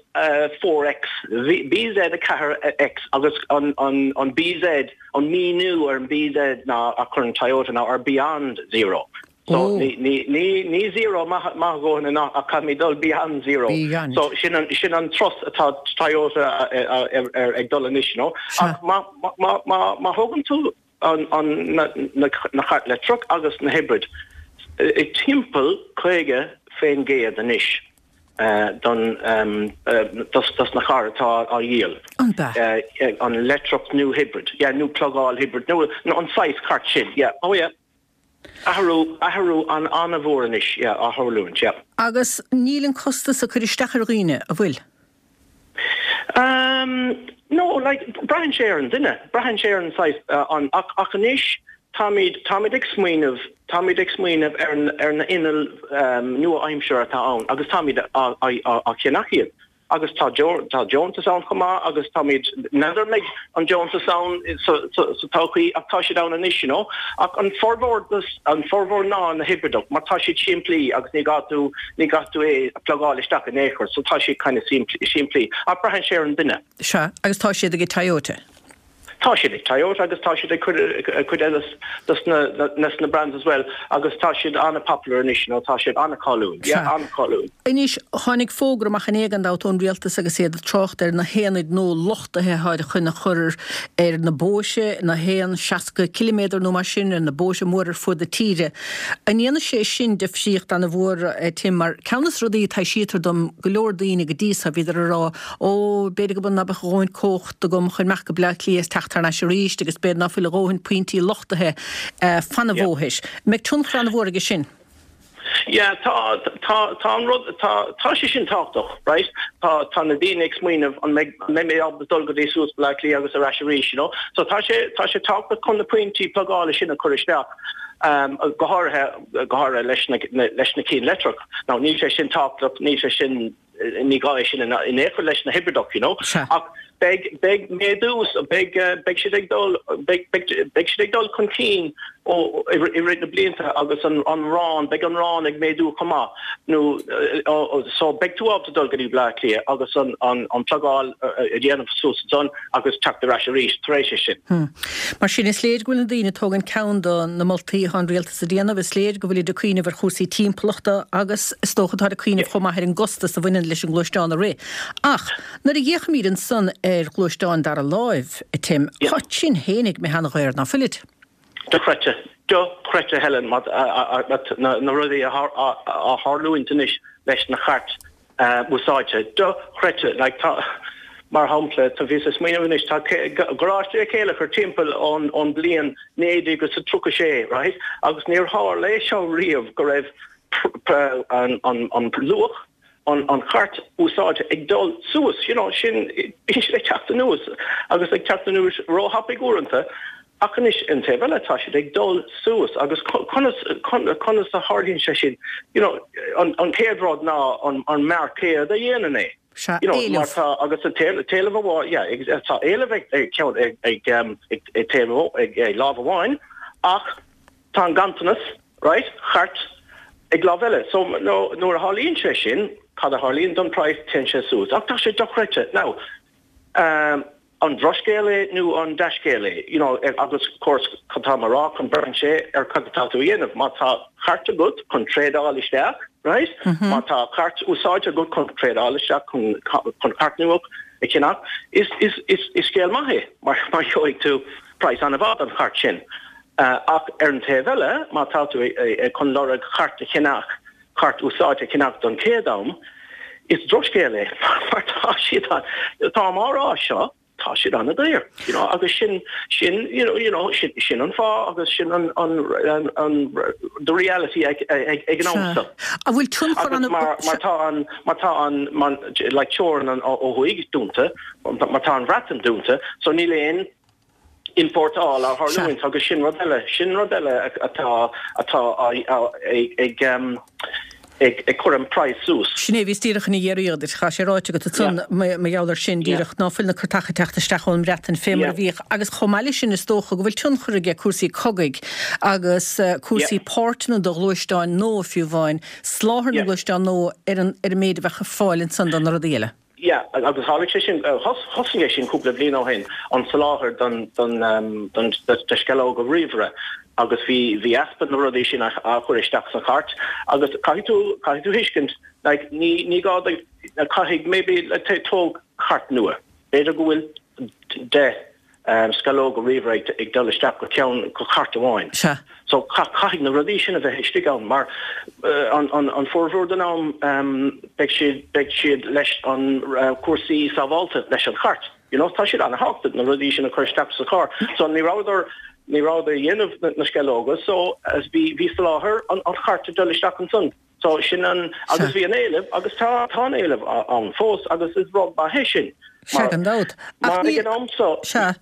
four X, BZ a ceathair X agus an an BZ, an míniú ar an BZ ná a chuireann Toyota ná ar beyond zero. So ní ní ní ní zero maith maith a dhóthain ná ach caithfimid dul beyond zero. Beyond. So sin an sin an turas atá Toyota ar ag dul anois, you know. Ach má má má má thógann tú an, an, na, na, na chairt leictreach agus na hybrid ag timpeall caoga faoin gcéad anois uh, don um, uh, dos, dos na cairr atá á dhíol. An bea? Uh, an leictreach nó hybrid, yeah, nó plugáil hybrid, nó, nó an saghas cairt sin, yeah. Oh yeah. Athrú athrú an an-mhór anois, yeah, á tharlúint, yeah. Agus níl an costas ag cur isteach ar dhaoine, an bhfuil? Um, no, like, braitheann sé ar an duine, braitheann sé ar an saghas uh, an ach, ach anois táimid táimid ag smaoineamh táimid ag smaoineamh ar an ar na innill um, nua-aimseartha atá ann agus táimid á á á cheannach iad. Agus tá tá deontas ann chomh maith agus táimid n'fheadar an mbeidh an deontas ann sa sa sa todhchaí ach tá siad ann anois you know. Ach an formhór an formhór ná na hibrideach mar tá siad simplí agus ní gá tú ní gá tú é a plugáil isteach in aon chor, so tá siad kind of simplí. Ach braitheann sé ar an duine. Sea, agus tá siad ag Toyota. Tá siad ag Toyota agus tá siad ag cuid eile dos na na na brands as well agus tá siad an-popular anois nó tá siad an-cháiliúil. Yeah, an-cháiliúil. Anois tháinig fógra amach inné gan dabht ón rialtas agus iad ag trácht ar na haonaid nua luchtaithe atá chun a chur ar na bóithre na haon seasca ciliméadar nó mar sin ar na bóithre móra ar fud na tíre. An ndéanfaidh sé sin difríocht an-mhór eh, Tim mar ceann de na rudaí taibhsítear dom go leor daoine go dtí seo bhíodar ag rá ó b'fhéidir go nach mbeadh a dhóthain cumhacht agam chun imeacht go Bleá Cliath is teacht thar n-ais arís agus b'fhéidir ná fuil a dhóthain pointí luchtaithe eh, fan an bhóthair. Mbeidh tionchar an-mhór aige sin. Yeah, tá tá tá an rud tá tá sé sin tábhachtach, right? Tá tá na daoine ag smaoineamh an mbeidh an mbeidh mé ábalta dul go dtí suas Bleá Cliath agus ar ais arís, you know? So tá sé tá sé tábhachtach chun na pointí plugála sin a chur isteach. Um, go háirithe go háirithe leis na, na, leis na cinn leictreach. Now níl sé sin tábhachtach, níl sé sin ní gá é sin in aon chor leis na hibrideach, you know? Sea. Ach beidh beidh méadú beidh uh, beidh siad ag dul beidh beidh beidh siad ag dul chun cinn ó i i rith na blianta agus an an raon beidh an raon ag méadú chomh maith nó uh, so beidh tú ábalta dul go dtí Bleá Cliath agus an an an plugáil uh, a dhéanamh suas ansan agus teacht ar ais arís tar éis sin. Hmm. Mar sin is léir go bhfuil na daoine ag tógaint ceann do na moltaí atá an rialtas a dhéanamh is léir go bhfuil ag cuimhneamh ar chúrsaí timpeallachta agus is dócha tá ag cuimhneamh chomh maith ar an gcostas a bhaineann leis an ngluaisteán a rith. Ach nuair a fhéachaimid ansan ar ghluaisteáin dara láimh a Tim, Yeah. Tá sin fhéinig mé han-dhaor ná fuilid. Dochreidte dochreidte Helen mat na na rudaí a a tharlaíonn anois leis na cairt úsáidte dochreidte like tá mar shampla tá bhí smaoineamh anois tá garáiste céile chur timpeall ón ón bliain naoi déag agus a tríocha sé right agus níor tharla seo riamh go raibh an an an luach an an chairt úsáidte ag dul suas you know sin bíonn siad ag teacht anuas agus ag teacht anuas róthapaidh uaireanta ach anois an taobh eile tá siad ag dul suas agus conas conas a tharlaíonn sé sin you know an an chéad rud ná an an marcéad a dhéanann é Sea, you know éileamh. mar tá agus an t-éileamh amháin yeah tá éileamh ag ag ceann ag ag um, ag ag taobh ag ag lámh amháin ach tá an ganntanas right chairt ag lámh eile so no nuair a tharlaíonn sé sin cad a tharlaíonn don price téann sé suas ach tá sé dochreidte now um, an drochscéal é nó an dea-scéal é you know agus of course cad tá mar rá chun braitheann sé ar cad atá tú a dhéanamh má tá cairt agat chun trádáil isteach right má tá cairt úsáidte agat chun trádáil isteach chun chun cairt nua a cheannach is is is is scéal maith é mar mar gheobhaidh tú price an-mhaith don chairt sin uh, ach ar an taobh eile má tá tú chun lorg cairt a cheannach cairt úsáidte a cheannach don chéad am is drochscéal é mar tá siad tá mar rá seo tá siad an-daor you know agus sin sin you know you know sin sin an fáth agus sin an an an, an the reality ag ag ag an am seo. An bhfuil tionchar Agus an mar mar tá an mar tá an man like teorainn an ó thuaidh dúnta mar tá an Bhreatain dúnta so níl aon importáil á tharlúint agus sin rud eile sin rud eile atá atá ag ag um, ag ag cur an price suas. Sin é bhí díreach ina dhéiread cha sé ráite go san mar gheall air sin díreach ná fuil na cairteacha ag teacht isteach ón mBreatain fé mar a bhíodh agus chomh maith leis sin is dócha go bhfuil tionchar aige cúrsaí cogaidh agus uh, cúrsaí páirteanna do ghluaisteáin nua fiú amháin soláthar na ngluaisteán nua ar an ar an méid a bheadh ar fáil ansan don na rudaí eile. Yeah, agus tháinig sé sin thosaigh sé sin cúpla bliain ó shin an soláthar don don um, don de sceallóga ríomhaire agus bhí bhí easpa na rudaí sin a chur isteach sa chairt agus caithfidh tú caithfidh tú tuiscint like ní ní gá caithfidh maybe tóg cairt nua. B'fhéidir go bhfuil de sceallóga ríomhaire ag dul isteach go ceann go cairt amháin. Sea. So caithfidh na rudaí sin a bheith istigh ann mar an an formhór den am beidh siad beidh siad leis an cúrsaí sábháilte leis an chairt. You know, tá siad an-thábhachtach na rudaí sin a chur isteach sa charr. So ní rabhadar ní rabhadar ag déanamh na sceallóga so as bhí bhí soláthar an an chairt ag dul isteach ansan. So sin an agus bhí an éileamh agus tá tá an éileamh ann fós agus is rud maith é sin. Sea, gan dabht. Ach ag an am so Sea.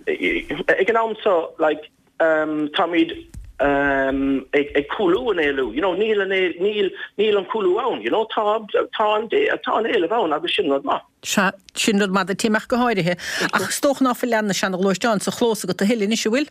ag an am so like um, táimid um, ag, ag cúlú an éileamh, you know, níl an níl níl an cúlú ann, you know, tá tá an tá an éileamh ann agus sin rud maith. Sea, sin rud maith do Tim ach go háirithe. Ach is dócha ná fuil na seanghluaisteáin sa chlós agat a thuilleadh anois, an bhfuil?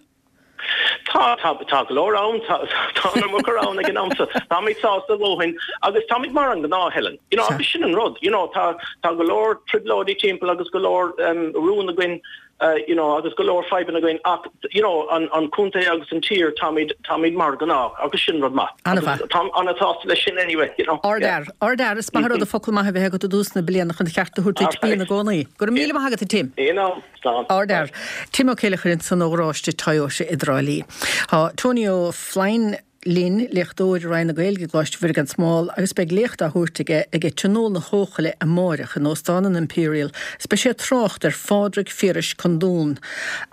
Tá tá tá go leor ann tá tá an iomarca ann ag an am so táimid sásta a dhóthain agus táimid mar an gnáth Helen. You know, agus sin an rud, you know, tá tá go leor trioblóidí timpeall agus go leor um, rún againn uh, you know, agus go leor fadhbanna againn ach you know, an, an contae agus an tír táimid táimid mar gnáth agus sin rud maith. An-mhaith. Tá an-sásta leis sin anyway, you know. Ardfhear, ardfhear is maith rud a focal maith a bheith agat i dtús na bliana chun ceart a thabhairt duit bíonn i gcónaí. Go raibh míle maith agat a Tim. You know, slán. Ardfhear. Tim Ó Céileachair ansan ó gharáiste Toyota i dTrá Lí. Tá Tony Ó Floinn linn léachtóir i Roinn na Gaeilge i gColáiste Mhuire gan Smál agus beidh léacht á thabhairt aige ag Tionól na hEochaille amárach in Óstán an Imperial. Is beidh sé ag trácht ar Phádraig Phiarais Condún,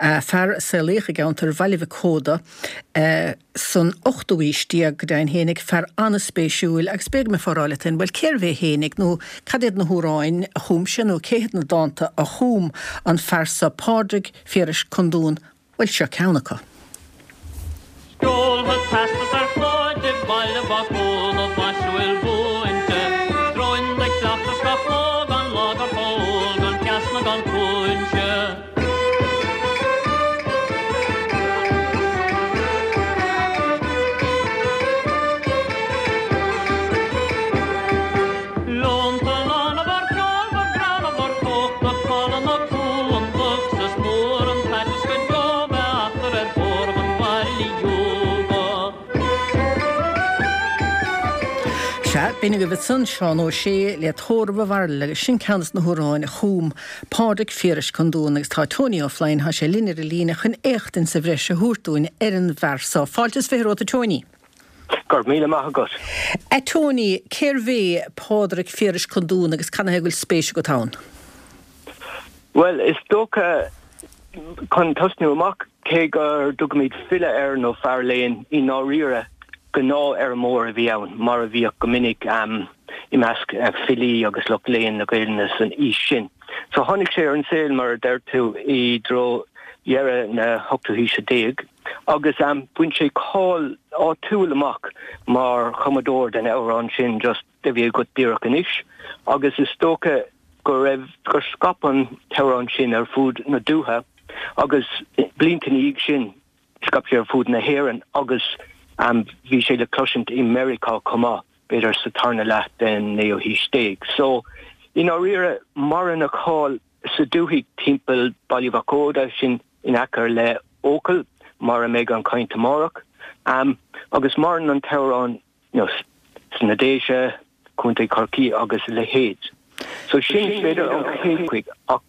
fear a saolaíodh i gceantar Bhaile Mhic Óda san ochtú haois déag go deimhin fhéinig, fear an-spéisiúil agus b'fhéidir go mbeifeá ag rá leat féin, bhuel cérbh é fhéinig nó cad iad na hamhráin a chum sé nó cé hiad na dánta a chum an fear seo Pádraig Phiarais Condún, bhuel seo ceann acu. Seolfad teastas ar chlóid i mBaile Mhac Óda maisiúil mhúinte, Dróin de chleachtas gach lá gan lá gur chól, gan ceas ná gan cúinse. Leonta lána bhur gceol, bhur gcrann, bhur gcócht, na cála na cuantach, 's is mór an t-aiteas go deo bheith eachtar ar thórramh an bhaile iúga. Sea, b'in agaibh ansan Seán Ó Sé le Tórramh a' Bhairille agus sin ceann des na hamhráin a chum Pádraig Phiarais Condún agus tá Tony Ó Floinn, tá sé linn ar an líne chun éachtaint sa bhreis a thabhairt dúinn ar an bhfear seo. Fáilte is fiche romhat a Tony. Go raibh míle maith agat. A Tony, cérbh é Pádraig Phiarais Condún agus cad ina thaobh go bhfuil spéis agat ann? Bhuel, is dócha, chun tosnú amach, cé go dtugaimid file air nó fear léinn, i ndáiríre, gnáthfheirmeoir a bhí ann, mar a bhíodh go minic i measc filí agus lucht léinn na Gaelainne san aois sin. So tháinig sé ar an saol, mar a deir tú, i dtreo dheireadh na hochtú haoise déag agus bhain sé cáil áitiúil amach mar chumadóir den amhrán sin just a bhí agat díreach anois agus is dócha go raibh, gur scaip an t-amhrán sin ar fud na dúiche agus blianta ina dhiaidh sin scaip sé ar fud na hÉireann agus bhí sé le cloisint i Meiriceá chomh maith, b'fhéidir sa tarna leath den naoú haois déag. So, i ndáiríre, maireann a cháil sa dúthaigh timpeall Baile Mhac Óda, sin in aice le Eochaill, mar a mbeidh an chaint amárach, agus maireann an t-amhrán you know, sna Déise, Contae Chorcaí agus a leithéid. So sin b'fhéidir an chéad chuid ach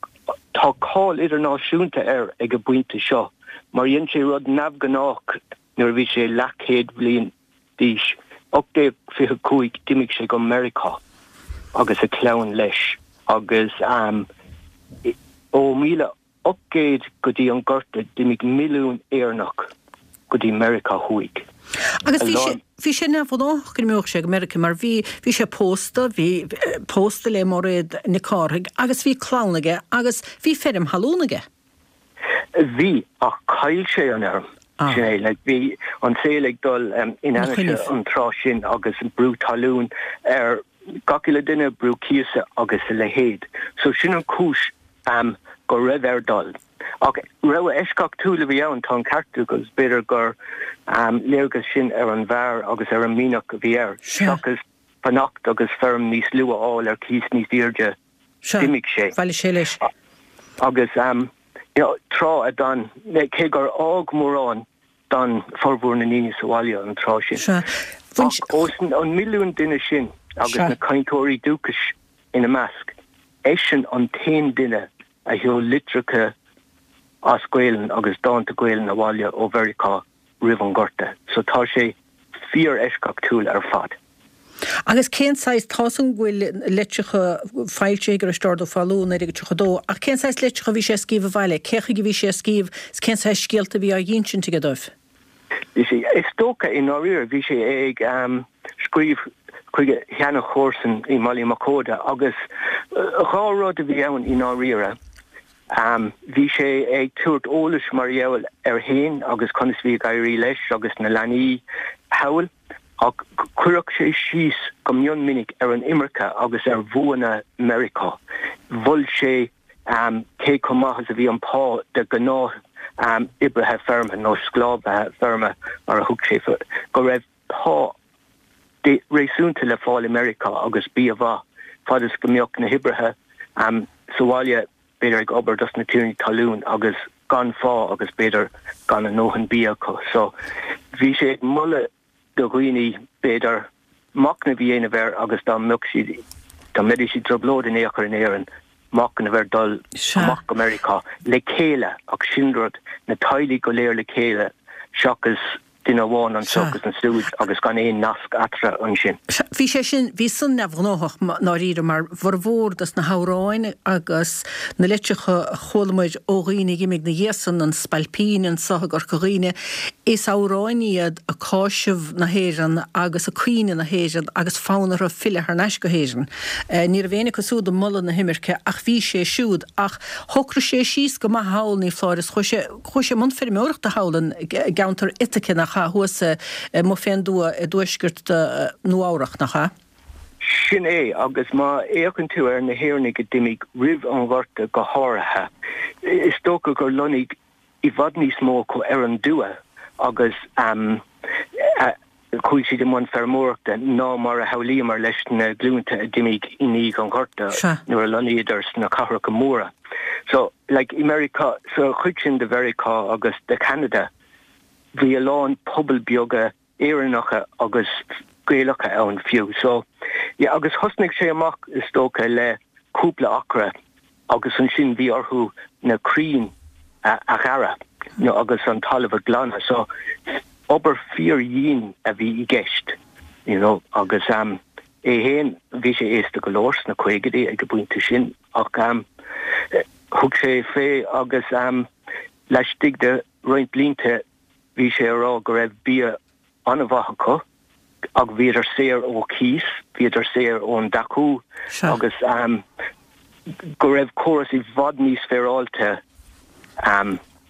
tá cáil idirnáisiúnta air ag an bpointe seo mar dhein sé rud neamhghnách nuair a bhí sé leathchéad bhliain d'aois, ocht déag fiche cúig, d'imigh sé go Meiriceá agus a chlann leis agus ó míle ocht gcéad go dtí an Gorta d'imigh milliún Éireannach go dtí Meiriceá Thuaidh. Agus bhí sé, bhí sé neamhghnách go n-imeodh sé go Meiriceá mar bhí, bhí sé pósta, bhí pósta le Máiréad Nic Cárthaigh agus bhí clann aige agus bhí feirm thalún aige. Bhí, ach chaill sé an fheirm. Sin é, like, bhí an saol ag dul in ainnise an tráth sin agus brú talún ar gach uile duine, brú cíosa agus a leithéid. So sin an chúis go raibh air dul. Ach rogha eisceachtúil a bhí ann, tá an ceart agat, agus b'fhéidir gur léargas sin ar an bhfear agus ar an mianach a bhí air, seachas fanacht agus feirm níos lú a fháil ar cíos níos airde. D'imigh sé. Bhailigh sé leis. Agus tráth a d'fhan, cé gur fhág mórán, d'fhan formhór na ndaoine sa bhaile an tráth sin. Ach ós an milliún duine sin agus na cainteoirí dúchais ina measc, eisean an t-aon duine a sheol litreacha as Gaelainn agus dánta Gaelainn abhaile ó Mheiriceá roimh an Ghorta. So tá sé fíor-eisceachtúil ar fad. Agus cén saghas, tá 's agam go bhfuil litreacha foilsithe ag Risteárd Ó Foghlú naoi déag tríocha dó, ach cén saghas litreacha a bhí sé ag scríobh abhaile, cé chuige a bhí sé ag scríobh is cén saghas scéalta a bhí á dh'insint aige dóibh? Bhí sé, is dócha, i ndáiríre, bhí sé ag scríobh chuig a sheana-chomharsain i mBaile Mochuda agus dhá rud a bhí ann i ndáiríre. Bhí sé ag tabhairt eolais mar gheall air féin agus conas bhí ag éirí leis agus na leanaí thall ach chuirfeadh sé síos go mion minic ar an imirce agus ar bhuanna Meiriceá. Mhol sé cé chomh maith is a bhí an pá de ghnáth oibrithe feirme nó sclábhaithe feirme mar a thug sé, go raibh pá réasúnta le fáil i Meiriceá agus bia mhaith fad is go mbeadh na hoibrithe sa bhaile b'fhéidir ag obair dos na tiarnaí talún agus gan phá agus b'fhéidir gan a ndóthain bia acu. So bhí sé ag moladh do dhaoine b'fhéidir machnamh a dhéanamh air agus dá mbeadh siad, dá mbeidís i dtrioblóid in aon chor in Éirinn, machnamh ar dul amach go Meiriceá le chéile ach sin rud, na teaghlaigh go léir le chéile seachas duine amháin anseo agus ansiúd agus gan aon nasc eatarthu ansin. Sea, bhí sé sin, bhí san neamhghnóthach i ndáiríre mar bhformhór dos na hamhráin agus na litreacha a chualamair ó dhaoine a dh'imigh 'na dhiaidh san, an Spailpín anso i gCorca Dhuibhne, is amhráin iad ag cáiseamh na hÉireann agus ag caoineadh na hÉireann agus fonn orthu filleadh thar n-ais go hÉirinn. Ní raibh éinne acu siúd ag moladh na himirce ach bhí sé siúd. Ach shocraigh sé síos go maith thall, ní foláir, is chuaigh sé, chuaigh sé i mbun feirmeoireachta thall i gceantar Ithaca, nach ea, thuas amuigh fén dtuath i dtuaisceart Nua Eabhrach, nach ea? Sin é, agus má fhéachann tú ar na hÉireannaigh a d'imigh roimh an Ghorta go háirithe, is dócha gur lonnaigh i bhfad níos mó acu ar an dtuath agus chuaigh siad i mbun feirmeoireachta ná mar a shamhlaíomar leis na glúnta a d'imigh i ndiaidh an Ghorta nuair a lonnaíodar sna cathracha móra. So, like, i Meiriceá, sa chuid sin de Mheiriceá agus de Cheanada, bhí a lán pobal beaga Éireannacha agus Gaelacha ann fiú. So, yeah, agus thosnaigh sé amach, is dócha, le cúpla acra agus ansin bhí orthu na crainn a ghearradh nó agus an talamh a ghlanadh. So, obair fíor-dhian a bhí i gceist, you know, agus um, é féin, bhí sé aosta go leor sna caogaidí ag an bpointe sin ach um, thug sé fé agus um, laistigh de roinnt blianta Bhí sé a rá go raibh bia an-mhaith acu ach bhíodar saor ó chíos, bhíodar saor ón deachú agus go raibh córas i bhfad níos féaráilte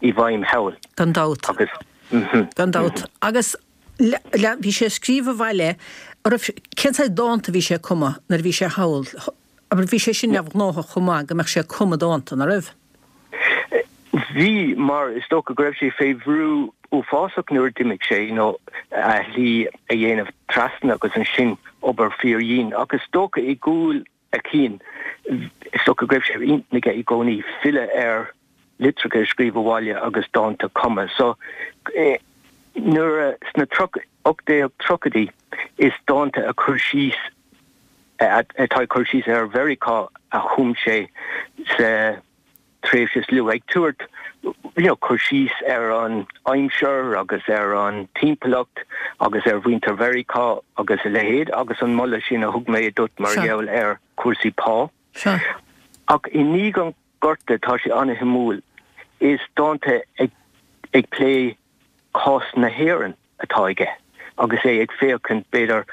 i bhfeidhm thall. Gan dabht. Gan dabht. Agus bhí sé ag scríobh abhaile, an raibh, cén saghas dánta a bhí sé ag cumadh nuair a bhí sé thall? Abair, bhí sé sin neamhghnóthach chomh maith go mbeadh sé ag cumadh dánta, ná raibh? Bhí, mar is dócha go raibh sé fé bhrú uafásach nuair a d'imigh sé, you know, a shlí a dhéanamh trasna agus ansin obair fíordhian. Ach is dócha i gcúl a chinn, is dócha go raibh sé ar intinn aige i gcónaí filleadh ar litreacha a scríobh abhaile agus dánta a chumadh. So, nuair a, sna ocht déag tríochaidí, is dánta a chur síos, atá ag cur síos ar Mheiriceá a chum sé sa tréimhse is luaithe, ag tabhairt you know cur síos ar an aimsir agus ar an timpeallacht agus ar mhuintir Mheiriceá agus a leithéid agus an moladh sin a thug mé duit mar gheall ar chúrsaí pá. Ach i ndiaidh an Ghorta tá sé an-shuimiúil, is dánta ag ag plé cás na hÉireann atá aige agus é ag féachaint, b'fhéidir,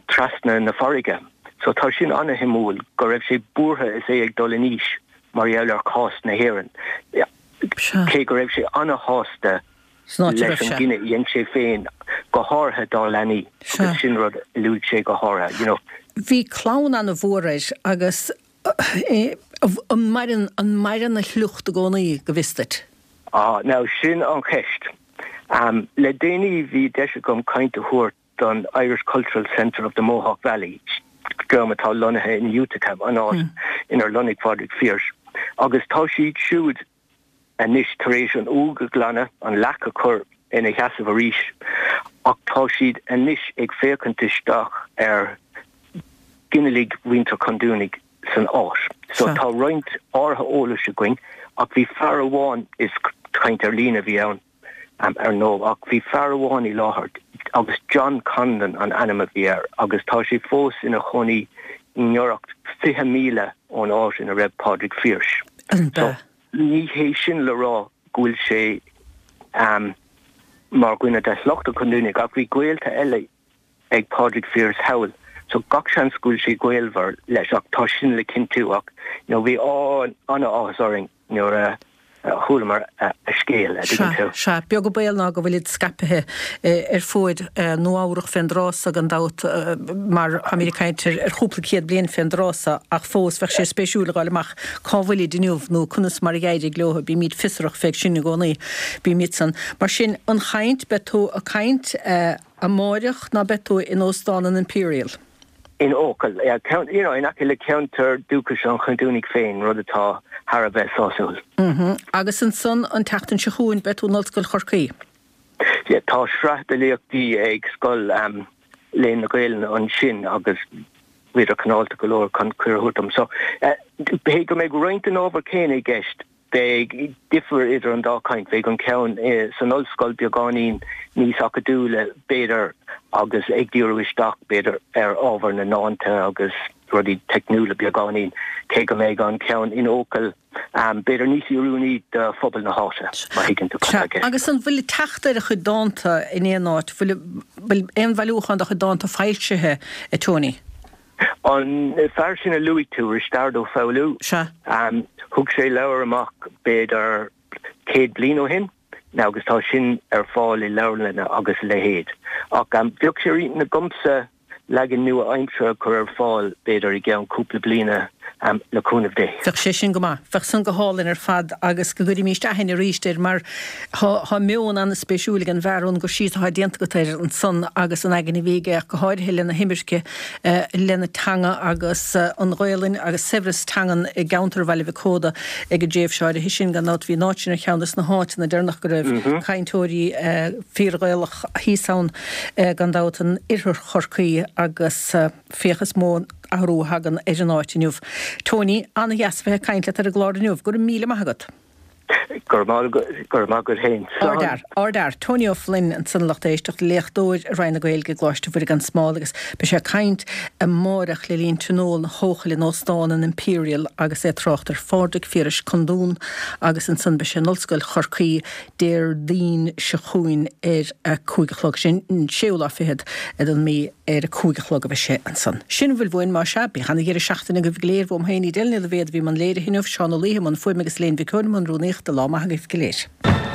trasna na farraige. So tá sin an-shuimiúil, go raibh sé buartha is é ag dul in aois mar gheall ar chás na hÉireann, cé go raibh sé an-shásta leis an gcinneadh a dhein sé féin, go háirithe dá leanaí, agus sin rud a luaigh sé go háirithe, you know. Bhí clann an-mhór air agus an maireann, an maireann a shliocht i gcónaí, go bhfios duit? Ah, now sin an cheist. Le déanaí bhí deis agam caint a thabhairt don Irish Cultural Centre of the Mohawk Valley, dream atá lonnaithe in Utica, an áit inar lonnaigh Phádraig Pearse, agus tá siad siúd anois tar éis an uaigh a ghlanadh, an leac a chur ina sheasamh arís, ach tá siad anois ag féachaint isteach ar ghinealaigh mhuintir Chondúnaigh san áit. So tá roinnt áirithe eolais againn, ach bhí fear amháin, is Caint ar líne a bhí ann ar ndóigh ach bhí fear amháin i láthair agus John Conlon an ainm a bhí air agus tá sé fós ina chónaí i ngiorracht fiche míle ón áit ina raibh Pádraig Pearse. So ní hé sin le rá go bhfuil sé mar dhuine de shliocht an Chondúnaigh ach bhí gaolta eile ag Pádraig Pearse thall so gach seans go bhfuil sé gaolmhar leis ach tá sin le cinntiú ach you know bhí an-áthas orainn nuair a chualamar a scéal a dtuigeann tú. Sea, beag an baol ná go bhfuilid scaipthe ar fuaid Nua Eabhrach fén dtráth so gan dabht mar táimid ag caint ar chúpla céad bliain fén dtráth so ach fós bheadh sé spéisiúil a dh'fháil amach cá bhfuilid inniu nó conas mar a d'éirigh leo. Bímid fiosrach fé sin i gcónaí. Bímid san. Mar sin, an chaint, beidh tú ag caint amáireach ná beidh tú in Óstán an Imperial? In Eochaill, you know, in aice le ceantar dúchais an Chondúnaigh féin, rud atá thar a bheith sásúil. Agus ansan an tseachtain seo chugainn beidh tú in Ollscoil Chorcaí? Yeah, tá sraith de léachtaí ag Scoil Léann na Gaelainne ansin agus bhíodar cineálta go leor chun cuireadh a thabhairt dom. So, cé go mbeidh roinnt den ábhar céanna i gceist, Beidh difear idir an dá chaint. Beidh an ceann san ollscoil beagáinín níos acadúla, b'fhéidir, agus ag díriú isteach, b'fhéidir, ar ábhar na ndánta agus rudaí teicniúla beagáinín, cé go mbeidh an ceann in Eochaill, b'fhéidir, níos oiriúnaí do phobal na háite, má thuigeann tú cad Sea. tá i gceist. Agus an bhfuil teacht ar a chuid dánta in aon áit? Bhfuil bhfuil aon bhailiúchán dá chuid dánta foilsithe, a Tony? An fear sin a luaigh tú, Risteard Ó Foghlú, Sea. thug sé leabhar amach b'fhéidir céad bliain ó shin agus tá sin ar fáil i leabharlanna agus a leithéid. Ach bheadh sé ar intinn agamsa leagan nua-aimseartha a chur ar fáil b'fhéidir i gceann cúpla bliana le cúnamh Dé. Bheadh sé sin go maith. Bheadh san go hálainn ar fad agus go gcuirimíst aithne arís air mar tá meon an-spéisiúil ag an bhfear ón gcur síos atá déanta agat air ansan agus an aigne a bhí aige ach go háirithe lena himirce lena teanga agus an Ghaolainn agus saibhreas teangan i gceantar Bhaile Mhic Óda ag an dtréimhse áirithe sin. Gan dabht bhí an áit sin ar cheann des na háiteanna deireanach go raibh cainteoirí fíor-Ghaelach thíos ann gan dabht in oirthear Chorcaí agus féach is mó athrú a thagann ar an áit inniu. Tony, an-dheas a bheith ag caint leat ar an gclár inniu. Go raibh míle maith agat. Go raibh maith agat féin. Slán. Ardfhear. Ardfhear. Tony Ó Floinn ansan a lucht éisteachta, léachtóir i Roinn na Gaeilge i gColáiste Mhuire gan Smál agus beidh sé ag caint amáireach le linn tionól na hEochaille in Óstán an Imperial agus é ag trácht ar Phádraig Phiarais Condún agus ansan beidh sé in Ollscoil Chorcaí Déardaoin seo chugainn ar a cúig a chlog. Sin an séú lá fichead den mí ar a cúig a chlog a bheidh sé ansan. Sin a bhfuil uainn, más ea. Bíodh ana-dheireadh seachtaine agaibh go léir. Uaim féin, Edel Ní Loibhéad a bhí i mbun léirithe inniu, Seán Ó Laoithe i mbun fuaime agus Elaine Mhic Eoin i mbun rúnaíochta. Lá maith agaibh go léir.